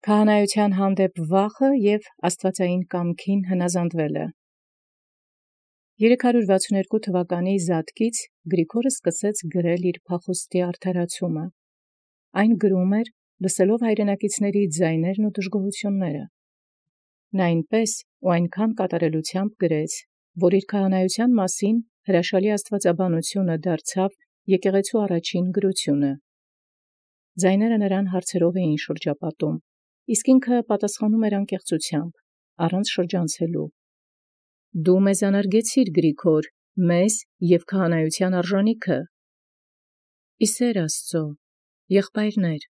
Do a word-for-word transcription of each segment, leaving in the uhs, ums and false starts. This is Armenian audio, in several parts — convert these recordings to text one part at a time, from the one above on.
Քահանայութեան հանդեպ վախը և աստուածային կամքին հնազանդելը։ Երեք հարյուր վաթսուն երկու թվականի Զատկից Գրիգորը սկսեց գրել իր փախուստի արդարացումը։ Այն գրում էր, լսելով հայրենակիցների ձայներն ու դժգոհությունները։ Նա այնպես ու այնքան կատարելութեամբ գրեց, որ իր քահանայութեան մասին հրաշալի աստուածաբանությունը դարձավ եկեղեցու առաջին գրությունը։ Ձայները նրան հարցերով էին շրջապատում, իսկ ինքը պատասխանում էր անկեղծութեամբ, առանց շրջանցելու։ «Դու մեզ անարգեցիր, Գրիգոր, մեզ և քահանայութեան արժանիքը»։ Իսեր Աստուծո, եղբայրներ,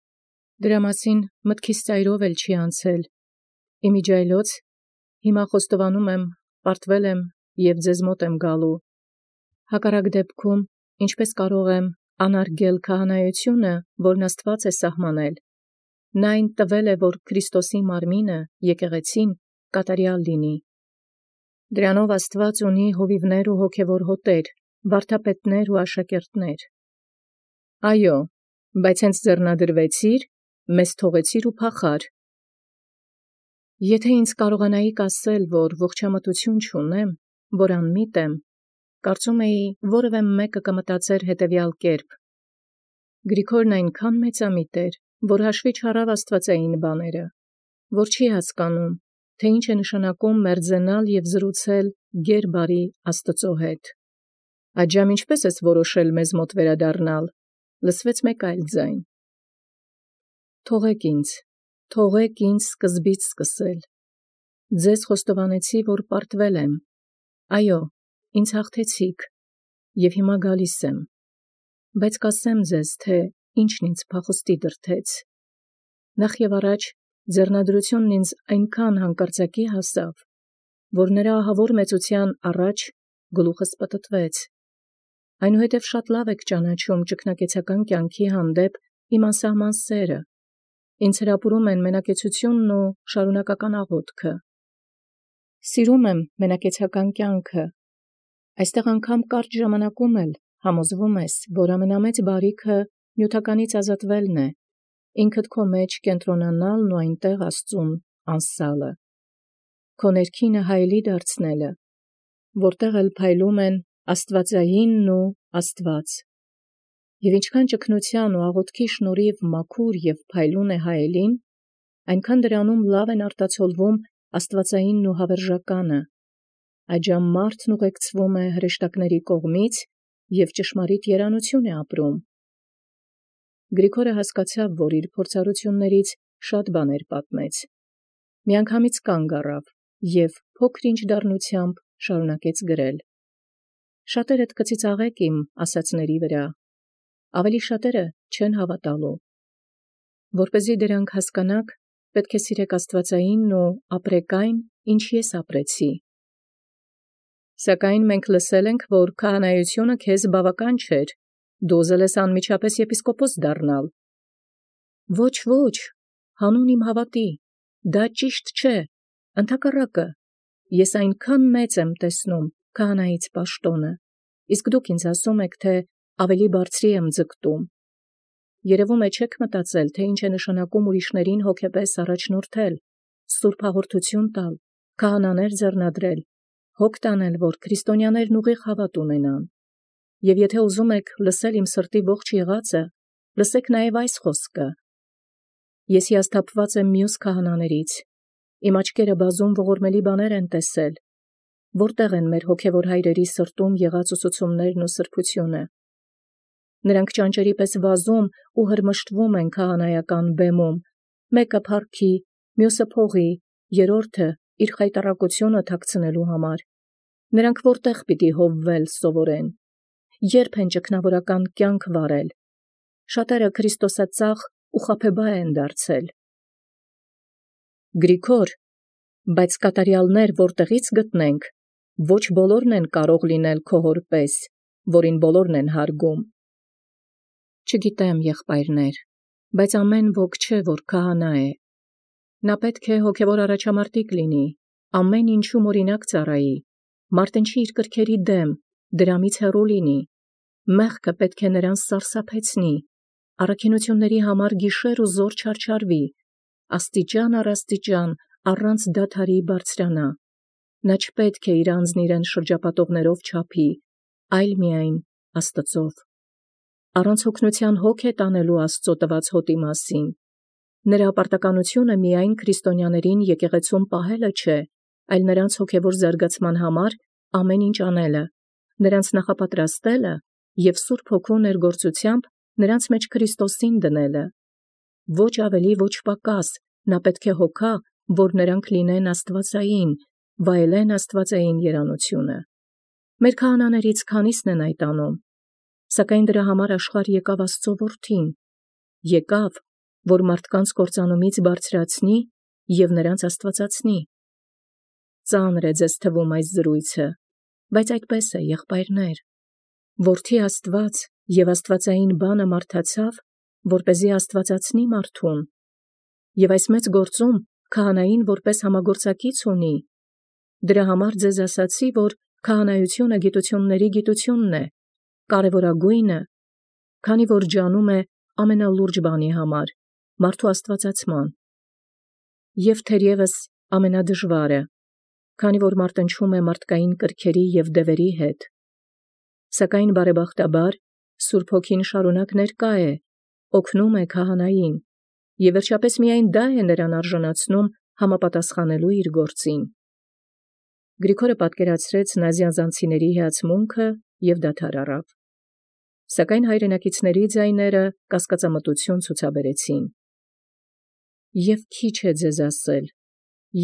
դրա մասին մտքիս ծայրով էլ չի անցել, իմիջիայլոց հիմա խոստովանում եմ, պարտվել եմ և ձեզ մոտ եմ գալու։ Հակառակ դեպքում ինչպե՞ս կարող եմ անարգել քահանայությունը, որն Աստուած է սահմանել։ Նա այն տվել է, որ Քրիստոսի մարմինը, եկեղեցին, կատարյալ լինի։ Դրանով Աստուած ունի հովիվներ ու հոգևոր հոտեր, վարդապետներ ու աշակերտներ։ Այո, բայց հենց ձեռնադրվեցիր, մեզ թողեցիր ու փախար։ Եթե ինձ կարողանայիք ասել, որ ողջամտություն չունեմ, որ անմիտ եմ, կարծում էի, որևէ մեկը կմտածեր հետևյալ կերպ. Գրիգորն այնքան մեծամիտ էր, որ հաշվի չառավ աստվածային բաները, որ չի հասկանում, թե ինչ է նշանակում մերձենալ և զրուցել գեր-բարի Աստծո հետ։ Այժմ ինչպե՞ս ես որոշել մեզ մոտ վերադառնալ, լսվեց մեկ այլ ձայն. Թողեք ինձ, թողեք ինձ սկզբից սկսել։ Ձեզ խոստովանեցի, որ պարտվել եմ, այո, ինձ հաղթեցիք, և հիմա գալիս եմ, բայց կասեմ ձեզ, թե ինչն ինձ փախուստի դրդեց։ Նախ և առաջ ձեռնադրությունն ինձ այնքան հանկարծակի հասավ, որ նրա ահավոր մեծության առաջ գլուխս պտտվեց։ Այնուհետև շատ լավ եք ճանաչում ճգնակեցական կյանքի հանդեպ իմ անսահման սերը, ինձ հրապուրում են մենակեցությունն ու շարունակական աղոթքը։ Սիրում եմ մենակեցական կյանքը, այստեղ անգամ կարճ ժամանակում էլ համոզվում ես, որ ամենամեծ բարիքը նյութականից ազատվելն է, ինքդ քո մեջ կենտրոնանալն ու այնտեղ Աստծուն անսալը, քո ներքինը հայելի դարձնելը, որտեղ էլ փայլում են աստվածայինն ու Աստված։ Եվ ինչքան ճգնության ու աղոթքի շնորհիվ մաքուր և փայլուն է հայելին, այնքան դրանում լավ են արտացոլվում աստվածայինն ու հավերժականը, այժմ մարդն ուղեկցվում է հրեշտակների կողմից և ճշմարիտ երանություն է ապրում։ Գրիգորը հասկացավ, որ իր փորձառություններից շատ բաներ պատմեց, միանգամից կանգ առավ և փոքր-ինչ դառնությամբ շարունակեց գրել. «Շատերդ կծիծաղեք իմ ասացների վրա, ավելի շատերը չեն հավատալու։ Որպեսզի դրանք հասկանաք, պետք է սիրեք աստվածայինն ու ապրեք այն, ինչ ես ապրեցի։ Սակայն մենք լսել ենք, որ քահանայությունը քեզ բավական չէր, դու ուզել ես անմիջապես եպիսկոպոս դառնալ։ Ոչ, ոչ, հանուն իմ հավատի, դա ճիշտ չէ, ընդհակառակը, ես այնքան մեծ եմ տեսնում քահանայից պաշտոնը, իսկ դուք ինձ ասում եք, թե ավելի բարձրի եմ ձգտում։ Երևում է չեք մտածել, թե ինչ է նշանակում ուրիշներին հոգեպես առաջնորդել, սուրբ հաղորդություն տալ, քահանաներ ձեռնադրել, հոգ տանել, որ քրիստոնյաներն ուղիղ հավատ ունենան։ Եվ եթե ուզում եք լսել իմ սրտի ողջ եղածը, լսեք նաև այս խոսքը. ես հիասթափված եմ մյուս քահանաներից, իմ աչքերը բազում ողորմելի բաներ են տեսել, որտեղ են մեր հոգևոր հայրերի սրտում եղած ուսուցումներն ու սրբությունը։ Նրանք ճանճերի պես վազում ու հրմշտվում են քահանայական բեմում, մեկը փառքի, մյուսը փողի, երրորդը իր խայտառակությունը թաքցնելու համար։ Նրանք որտեղ պիտի հովվել սովորեն, երբ են ճգնավորական կյանք վարել։ Շատերը քրիստոսածախ ու խաբեբայ են դարձել։ Գրիգոր, բայց կատարյալներ որտեղից գտնենք, ոչ բոլորն են կարող լինել քո հոր պես, որին բոլորն են հարգում։ Չգիտեմ, եղբայրներ, բայց ամեն ոք չէ, որ քահանա է։ Նա պետք է հոգևոր առաջամարտիկ լինի, ամեն ինչում օրինակ ծառայի, մարտնչի իր կրքերի դեմ, դրամից հեռու լինի, մեղքը պետք է նրան սարսափեցնի, առաքինությունների համար գիշեր ու զօր չարչարվի, աստիճան առ աստիճան, առանց դադարի բարձրանա։ Նա չպետք է իր անձն իրեն շրջապատողներով չափի, այլ միայն Աստծով։ Առանց հոգնության հոգ է տանելու Աստծո տված հոտի մասին։ Նրա պարտականությունը միայն քրիստոնյաներին եկեղեցում պահելը չէ, այլ նրանց հոգևոր զարգացման համար ամեն ինչ անելը, նրանց նախապատրաստելը և Սուրբ Հոգու ներգործությամբ նրանց մեջ Քրիստոսին դնելը։ Ոչ ավելի, ոչ պակաս, նա պետք է հոգա, որ նրանք լինեն աստվածային, վայելեն աստվածային երանությունը։ Մեր քահանաներից քանիսն են այդ անում, սակայն դրա համար աշխարհ եկավ Աստծո Որդին, եկավ, որ մարդկանց կործանումից բարձրացնի և նրանց աստվածացնի։ Ծանր է ձեզ թվում այս զրույցը, բայց այդպես է, եղբայրներ։ Որդի Աստված և աստվածային բանը մարդացավ, որպեսզի աստվածացնի մարդուն, և այս մեծ գործում քահանային որպես համագործակից ունի։ Դրա համար ձեզ ասացի, որ քահանայությունը գիտությունների գիտությունն է, կարևորագույնը, քանի որ ջանում է ամենալուրջ բանի համար, մարդու աստվածացման, և թերևս ամենադժվարը, քանի որ մարտնչում է մարդկային կրքերի և դևերի հետ։ Սակայն բարեբախտաբար Սուրբ Հոգին շարունակ ներկա է, օգնում է քահանային, և վերջապես միայն դա է նրան արժանացնում համապատասխանելու իր գործին։ Գրիգորը պատկերացրեց նազյանզանցիների հիացմունքը և դադար առավ։ Սակայն հայրենակիցների ձայները կասկածամտություն ցուցաբերեցին։ Եվ քիչ է ձեզ ասել,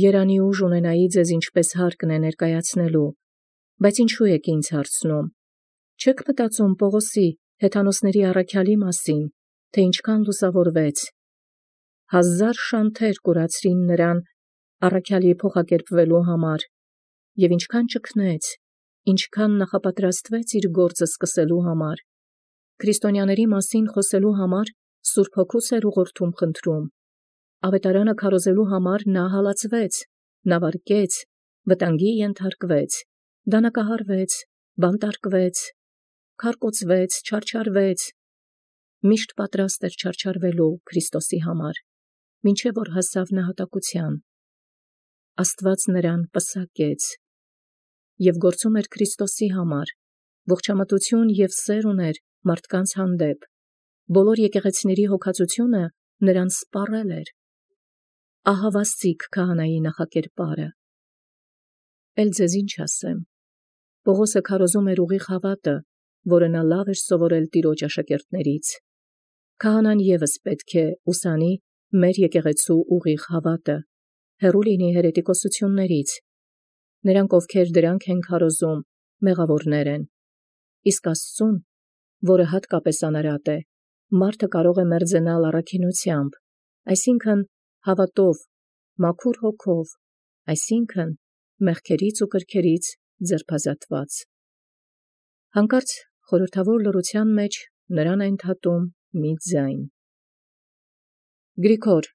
երանի ուժ ունենայի ձեզ ինչպես հարկն է ներկայացնելու, բայց ինչու եք ինձ հարցնում, չե՞ք մտածում Պողոսի հեթանոսների առաքյալի մասին, թե ինչքան լուսավորվեց, հազար շանթեր կուրացրին նրան առաքյալի փոխակերպվելու համար, և ինչքան ճգնեց, ինչքան նախապատրաստվեց իր գործը սկսելու համար, քրիստոնյաների մասին խոսելու համար Սուրբ Հոգուս էր ուղղորդում խնդրում, ավետարանը քարոզելու համար նա հալածվեց, նավարկեց, վտանգի ենթարկվեց, դանակահարվեց, բանտարկվեց, քարկոծվեց, չարչարվեց, միշտ պատրաստ էր չարչարվելու Քրիստոսի համար, մինչև որ հասավ նահատակության։ Աստված նրան պսակեց և գործում էր Քրիստոսի համար, ողջամտություն և սեր ուներ մարդկանց հանդեպ, բոլոր եկեղեցիների հոգածությունը նրան սպառել էր։ Ահավասիկ քահանայի նախակերպարը։ Էլ ձեզ ինչ ասեմ, Պողոսը քարոզում էր ուղիղ հավատը, որը նա լավ էր սովորել Տիրոջ աշակերտներից։ Քահանան ևս պետք է ուսանի մեր եկեղեցու ուղիղ հավատը, հեռու լինի հերետիկոսություններից։ Նրանք, ովքեր դրանք են քարոզում, մեղավորներ են։ Իսկ Աստծուն, որը հատկապես անարատ է, մարդը կարող է մերձենալ առաքինությամբ, այսինքն հավատով, մաքուր հոգով, այսինքն մեղքերից ու կրքերից ձերբազատված։ Հանկարծ խորհրդավոր լռության մեջ նրան է ընդհատում մի ձայն. Գրիգոր,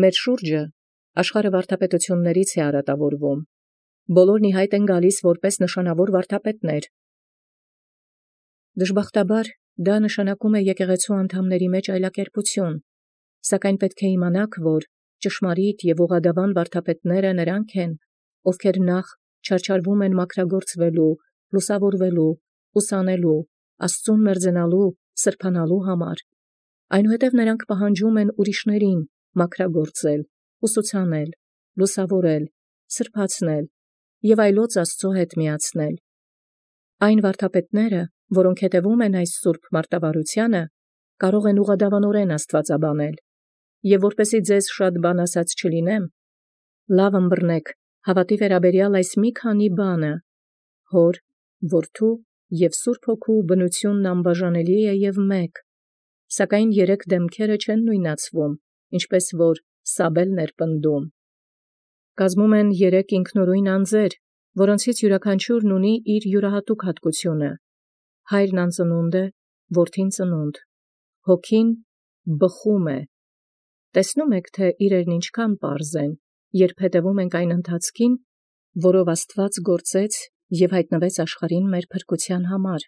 մեր շուրջը աշխարհը վարդապետություններից է արատավորվում, բոլորն ի հայտ են գալիս որպես նշանավոր վարդապետներ։ Դժբախտաբար դա նշանակում է եկեղեցու անդամների մեջ այլակերպություն, սակայն պետք է իմանաք, որ ճշմարիտ և ուղղադավան վարդապետները նրանք են, ովքեր նախ չարչարվում են մաքրագործվելու, լուսավորվելու, ուսանելու, Աստծուն մերձենալու, սրբանալու համար, այնուհետև նրանք պահանջում են ուրիշներին մաքրագործել, ուսուցանել, լուսավորել, սրբացնել և այլոց Աստծո հետ միացնել։ Այն վարդապետները, որոնք հետևում են այս սուրբ մարտավարությանը, կարող են ուղղադավանորեն աստվածաբանել, և որպեսզի ձեզ շատ բան ասած չլինեմ, լավ ըմբռնեք հավատի վերաբերյալ այս մի քանի բանը. Հոր, Որդու և Սուրբ Հոգու բնությունն անբաժանելի է և մեկ, սակայն երեք դեմքերը չեն նույնացվում, ինչպես որ Սաբելն էր պնդում։ Կազմում են երեք ինքնուրույն անձեր, որոնցից յուրաքանչյուրն ունի իր յուրահատուկ հատկությունը։ Հայրն անծնունդ է, Որդին ծնունդ, Հոգին բխում է։ Տեսնում եք, թե իրերն ինչքան պարզ են, երբ հետևում ենք այն ընթացքին, որով Աստված գործեց և հայտնվեց աշխարհին մեր փրկության համար։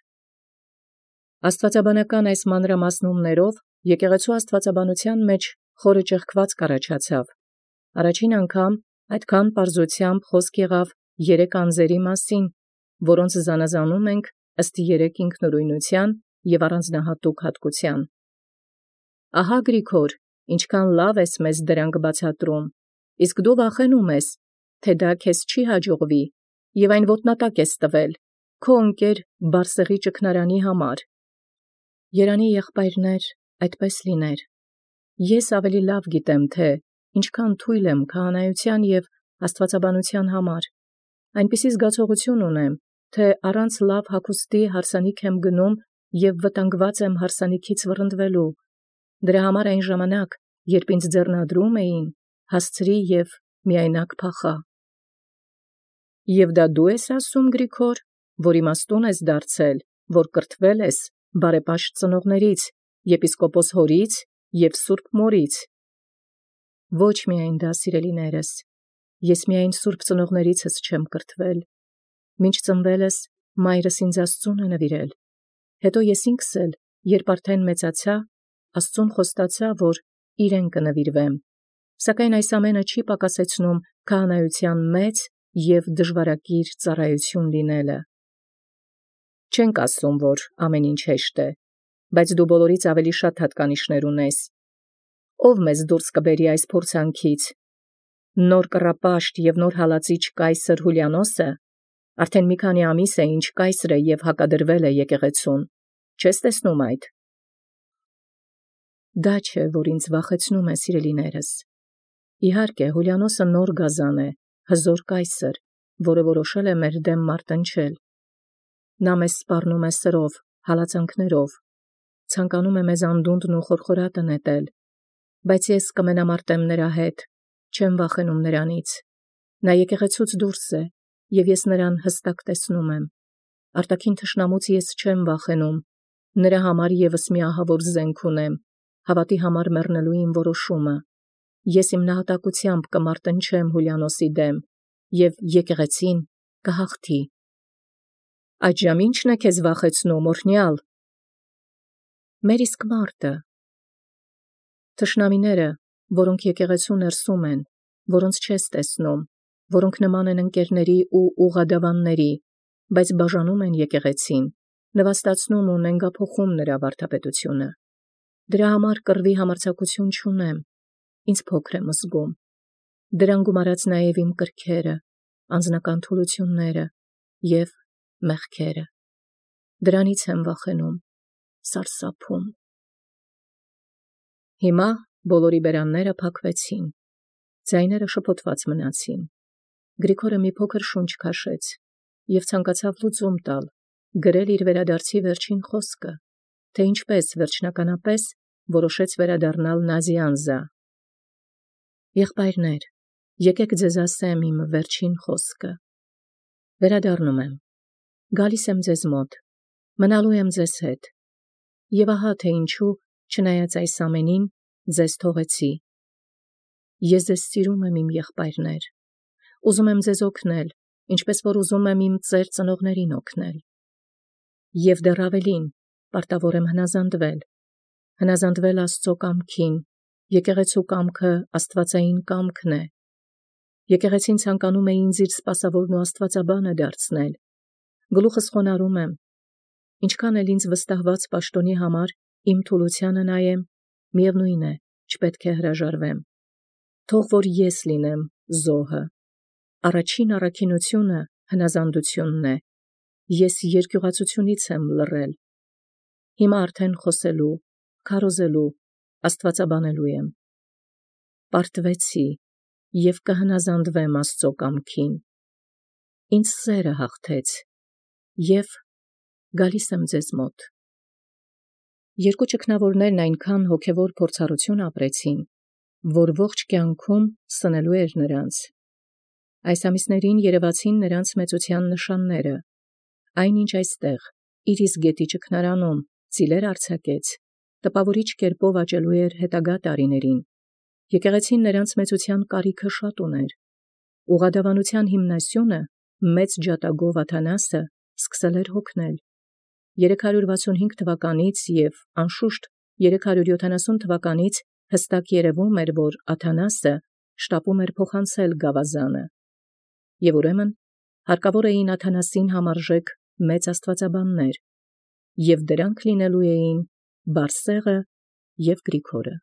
Աստվածաբանական այս մանրամասնումներով եկեղեցու աստվածաբանության մեջ խորը ճեղքված կառաջացավ։ Առաջին անգամ այդքան պարզությամբ խոսք եղավ երեք անձերի մասին, որոնց զանազանում ենք ըստ երեք ինքնուրույնության և առանձնահատուկ հատկության։ Ահա Գրիգոր, ինչքան լավ ես մեզ դրանք բացատրում, իսկ դու վախենում ես, թե դա քեզ չի հաջողվի, և այն ոտնատակ ես տվել քո ընկեր Բարսեղի ճգնարանի համար։ Երանի եղբայրներ, այդպես լիներ։ Ես ավելի լավ գիտեմ, թե ինչքան թույլ եմ քահանայության և աստվածաբանության համար, այնպիսի զգացողություն ունեմ, թե առանց լավ հագուստի հարսանիք եմ գնում և վտանգված եմ հարսանիքից վռնդվելու։ Դրա համար այն ժամանակ, երբ ինձ ձեռնադրում էին, հասցրի և միայնակ փախա։ Եվ դա դու ես ասում, Գրիգոր, որ իմաստուն ես դարձել, որ կրթվել ես բարեպաշտ ծնողներից, եպիսկոպոս հորից և սուրբ մորից։ Ոչ միայն դա, սիրելիներս, ես միայն սուրբ ծնողներիցս չեմ կրթվել, մինչ ծնվելս մայրս ինձ Աստծուն է նվիրել, հետո ես ինքս էլ, երբ արդեն մեծացա, Աստծուն խոստացա, որ իրեն կնվիրվեմ, սակայն այս ամենը չի պակասեցնում քահանայության մեծ և դժվարակիր ծառայություն լինելը։ Չենք ասում, որ ամեն ինչ հեշտ է, բայց դու բոլորից ավելի շատ հատկանիշներ ունես։ Ո՞վ մեզ դուրս կբերի այս փորձանքից։ Նոր կռապաշտ և նոր հալածիչ կայսր Հուլիանոսը արդեն մի քանի ամիս է, ինչ կայսր է և հակադրվել է եկեղեցուն, չես տեսնում այդ։ Դա չէ, որ ինձ վախեցնում է, սիրելիներս։ Իհարկե, Հուլիանոսը նոր գազան է, հզոր կայսր, որը որոշել է մեր դեմ մարտնչել։ Նա մեզ սպառնում է սրով, հալածանքներով, ցանկանում է մեզ անդունդն ու խորխորատը նետել, բայց ես կմենամարտեմ նրա հետ, չեմ վախենում նրանից։ Նա եկեղեցուց դուրս է, և ես նրան հստակ տեսնում եմ։ Արտաքին թշնամուց ես չեմ վախենում, նրա համար ևս մի ահավոր զենք ունեմ, հավատի համար մեռնելու իմ որոշումը։ Ես իմ նահատակությամբ կմարտնչեմ Հուլիանոսի դեմ, և եկեղեցին կհաղթի։ Այդժամ ի՞նչն է քեզ վախեցնում, օրհնյալ։ Մեր իսկ մարտը։ Թշնամիները, որոնք եկեղեցու ներսում են, որոնց չես տեսնում, որոնք նման են ընկերների ու ուղղադավանների, բայց բաժանում են եկեղեցին, նվաստացնում ու նենգափոխում նրա վարդապետությունը։ Դրա համար կռվի համարձակություն չունեմ, ինձ փոքր եմ զգում։ Դրան գումարած նաև իմ կրքերը, անձնական թուլությունները և մեղքերը։ Դրանից եմ վախենում, սարսափում։ Հիմա բոլորի բերանները փակվեցին, ձայները շփոթված մնացին։ Գրիգորը մի փոքր շունչ քաշեց և ցանկացավ լուծում տալ, գրել իր վերադարձի վերջին խոսքը, թե ինչպես վերջնականապես որոշեց վերադառնալ Նազիանզա։ Եղբայրներ, եկեք ձեզ ասեմ իմ վերջին խոսքը։ Վերադառնում եմ, գալիս եմ ձեզ մոտ, մնալու եմ ձեզ հետ։ Եվ ահա թե ինչու, չնայած այս ամենին, ձեզ թողեցի։ Ես ձեզ սիրում եմ, իմ եղբայրներ, ուզում եմ ձեզ օգնել, ինչպես որ ուզում եմ իմ ծեր ծնողներին օգնել։ Եվ դեռ ավելին, պարտավոր եմ հնազանդվել, հնազանդվել Աստծո կամքին, եկեղեցու կամքը աստվածային կամքն է։ Եկեղեցին ցանկանում է ինձ իր սպասավորն ու աստվածաբանը դարձնել։ Գլուխս խոնարհում եմ, ինչքան էլ ինձ վստահված պաշտոնի համար իմ թուլությանը նայեմ, միևնույն է, չպետք է հրաժարվեմ։ Թող որ ես լինեմ զոհը։ Առաջին առաքինությունը հնազանդությունն է։ Ես երկյուղացությունից եմ լռել։ Հիմա արդեն խոսելու, քարոզելու, աստվածաբանելու եմ։ Պարտվեցի և կհնազանդվեմ Աստծո կամքին։ Ինձ սերը հաղթեց և գալիս եմ ձեզ մոտ։ Երկու ճգնավորներն այնքան հոգևոր փորձառություն ապրեցին, որ ողջ կյանքում սնելու էր նրանց։ Այս ամիսներին երևացին նրանց մեծության նշանները։ Այնինչ այստեղ, իր իսկ գետի ճգնարանում, ծիլեր արձակեց, տպավորիչ կերպով աճելու էր հետագա տարիներին։ Եկեղեցին նրանց մեծության կարիքը շատ ուներ։ Ուղղադավանության հիմնասյունը, մեծ ջատագով Աթանասը, սկսել էր հոգնել։ երեք հարյուր վաթսունհինգ թվականից և անշուշտ երեք հարյուր յոթանասուն թվականից հստակ երևում էր, որ Աթանասը շտապում էր փոխանցել գաւազանը, եւ ուրեմն հարկավոր էին Աթանասին համարժեք մեծ աստուածաբաններ, եւ դրանք լինելու էին Բարսեղը և Գրիգորը։